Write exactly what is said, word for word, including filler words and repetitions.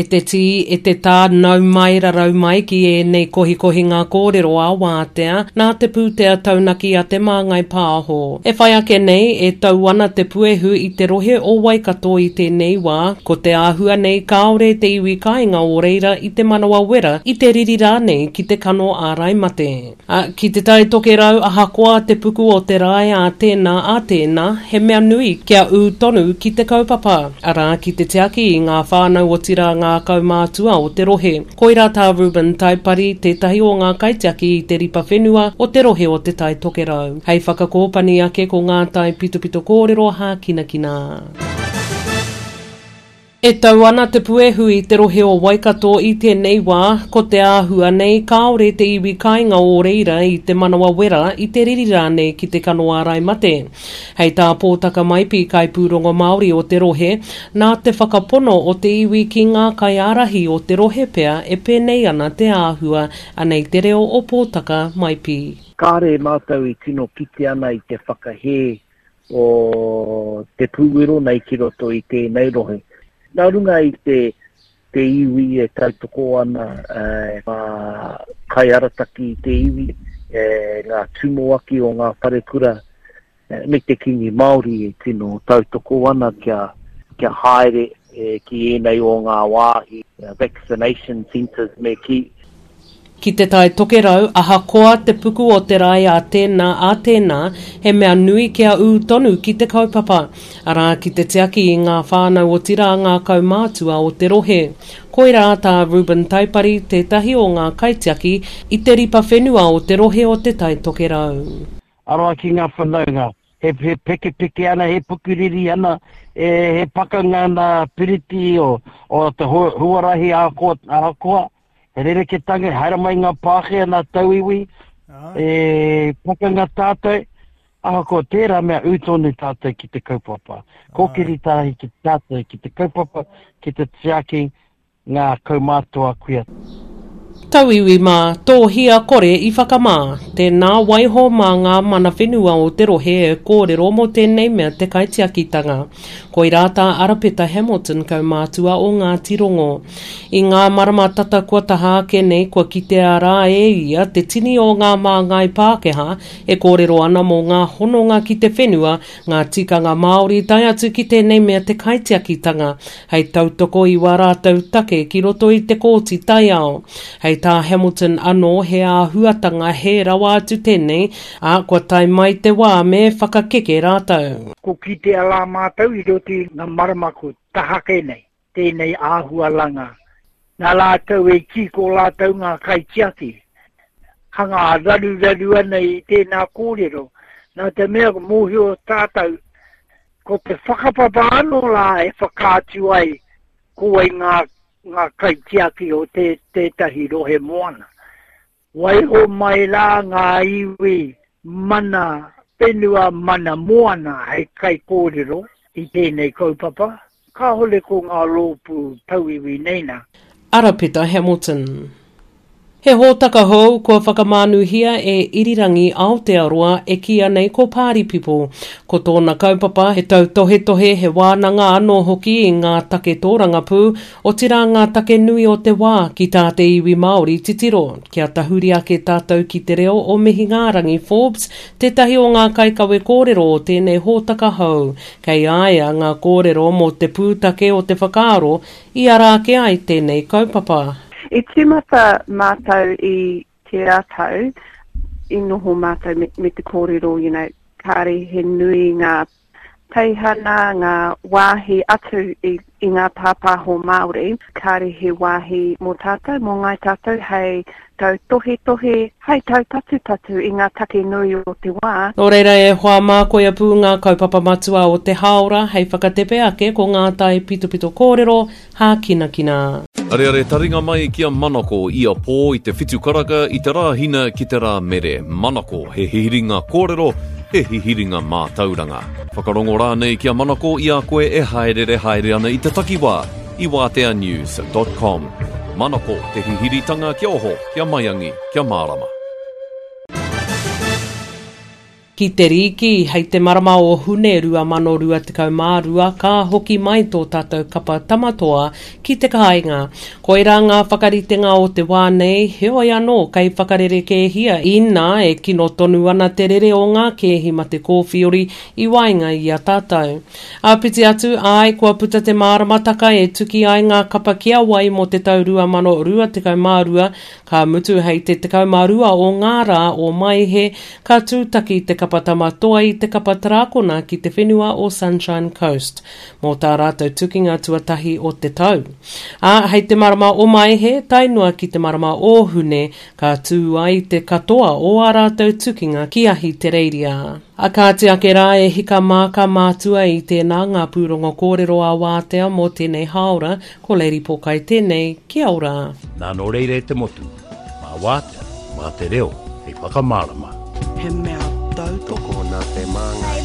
E te tī, e te tā, nau mai rarau mai ki ēnei kohikohinga kōrero a Wātea, nā te pūtea taunaki a Te Māngai Pāho. E whai ake nei, e tau ana te puehu i te rohe o Waikato i tēnei wā, ko te āhua nei kāore te iwi kāinga o reira i te manawa wera, i te riri rānei ki te kano ārai mate. A, ki Te Tai Tokerau, ahakoa te puku o te rae a tēnā a tēnā, he mea nui kia ū tonu ki te kaupapa, arā ki te tiaki i ngā whānau otirā ngā kaumātua o te rohe. Koirā tā Reuben Taipari, tētahi o ngā kaitiaki i te ripa whenua o te rohe o Te Tai Tokerau. Hei whakakōpani ake ko ngā taipitopito kōrero hākinakina. E tau ana te puehu i te rohe o Waikato i tēnei wā, ko te āhua nei kāore te iwi kāinga o reira i te manawa wera, i te riri rānei ki te kano ārai mate. Hei tā Pōtaka Maipi kaipūrongo Māori o te rohe, nā te whakapono o te iwi ki ngā kaiārahi o te rohe pea e pēnei ana te āhua, anei te reo o Pōtaka Maipi. Kāre mātou i tino kite ana i te whakahē o te pūwero nei ki roto i tēnei rohe. Nā runga i te, te iwi e tautoko ana e, ngā kaiarataki i te iwi, e, ngā tumuaki o ngā wharekura, e, me te Kīngi Māori e tino tautoko ana kia, kia haere e, ki ēnei o ngā wāhi, vaccination centres me ki. Ki Te Tai Tokerau, ahakoa te puku o te rae a tēnā a tēnā, he mea nui kia ū tonu ki te kaupapa, arā ki te tiaki i ngā whānau otirā ngā kaumātua o te rohe. Koirā tā Reuben Taipari, tētahi o ngā kaitiaki i te ripa whenua o te rohe o Te Tai Tokerau. Aroha ki ngā whanaunga, he, he pekepeke ana, he pukuriri ana, e, he pakanga ana piriti o, o te huarahi ahakoa, ahakoa, he rereketanga, haere mai ngā Pākehā nā tauiwi, e pakanga tātou, ahakoa tērā mea ū tonu tātou ki te kaupapa. Kōkiri tahi ki tātou ki te kaupapa, ki te tiaki ngā kaumātua kuia. Tauiwi mā, tōhia kore i whakamā. Tēnā waiho mā ngā mana whenua o te rohe e kōrero mō tēnei mea te kaitiakitanga. Koirā tā Arapeta Hamilton kaumātua o Ngāti Rongo. I ngā marama tata kua taha ake nei kua kitea rā e ia te tini o ngā māngai Pākehā e kōrero ana mō ngā hononga ki te whenua, ngā tikanga Māori tae atu ki tēnei mea te kaitiakitanga, hei tautoko i wā rātou take ki roto i te kōti taiao. Hei tā Hamilton anō he āhuatanga he rawa atu tēnei, ā, kua tae mai te wā me whakakeke rātou. Ko kitea rā mātou i roto i ngā marama ko taha ake nei, tēnei āhualanga. Nā rātou e kī ko rātou ngā kaitiaki. Hanga raruraru ana i tēnā kōrero. Nā te mea mōhio tātou, ko te whakapapa anō rā e whakaatu ai ko wai ngā, ngā kaitiaki o te, tētahi rohe moana. Waiho mai rā ngā iwi mana whenua mana moana hei kaikōrero i tēnei kaupapa. Kāhore ko ngā rōpū tauiwi nei nā. Arapeta Hamilton. He hōtaka hou kua whakamānuhia e Irirangi Aotearoa e kīia nei ko Party People. Ko tōna kaupapa he tautohetohe, he wānanga anō hoki i ngā take tōrangapū, otirā ngā take nui o te wā ki tā te iwi Māori titiro. Kia tahuri ake tātou ki te reo o Mihingārangi Forbes, tētahi o ngā kaikawe kōrero o tēnei hōtaka hou. Kei a ia ngā kōrero mō te pūtake o te whakaaro i ara ake ai tēnei kaupapa. I tīmata mātou i tērā tau, i noho mātou me, me te kōrero, you know, kāre he nui ngā teihana, ngā wāhi atu i, i ngā pāpāho Māori, kāre he wāhi mō tātou, mō ngāi tātou hei tautohetohe, hei taupatupatu i ngā take nui o te wā. Nō reira e hoa mā koia pū ngā kaupapa matua o te hāora hei whakatepe ake ko ngā taipitopito kōrero hākinakina. Areare taringa mai ki a Manako ia pō i te whitu karaka i te Rāhina ki te Rāmere. Manako, he hihiringa kōrero, he hihiringa mātauranga. Whakarongo rānei ki a Manako i a koe e haerere haere ana i te takiwā i wātea news dot com. Manako, te hihiritanga kia oho, kia maiangi, kia mārama. Ki te rīki, hei te marama o Hune rua mano rua tekau mā rua, ka hoki mai tō tātou kapa tamatoa ki te kāinga. Koirā ngā whakaritenga o te wā nei, heoi anō kei whakarerekēhia inā e kino tonu ana te rere o ngā kēhi mate kōwhiori i waenga i a tātou. Āpiti atu, āe, kua puta te māramataka e tuki ai ngā kapa ki a wai mō te tau rua mano rua tekau mā rua, ka mutu hei te tekau mā rua o ngā rā o Maehe, ka tūtaki te kapa tamatoa i te kapa tarakona ki te whenua o Sunshine Coast, mō tā rātou tukinga tuatahi o te tau. Ā, hei te marama o Maehe, tae noa ki te marama o Hune, ka tū ai te katoa o ā rātou tukinga ki Ahitereiria. A kāti ake rā e hika mā ka mātua i tēnā ngā pūrongo kōrero a Wātea mō tēnei hāora, ko Lady Pōkai tēnei, kia ora. Nā nō reira e te motu, mā Wātea, mā te reo, hei whakamārama. He mea tautoko nā te māngai.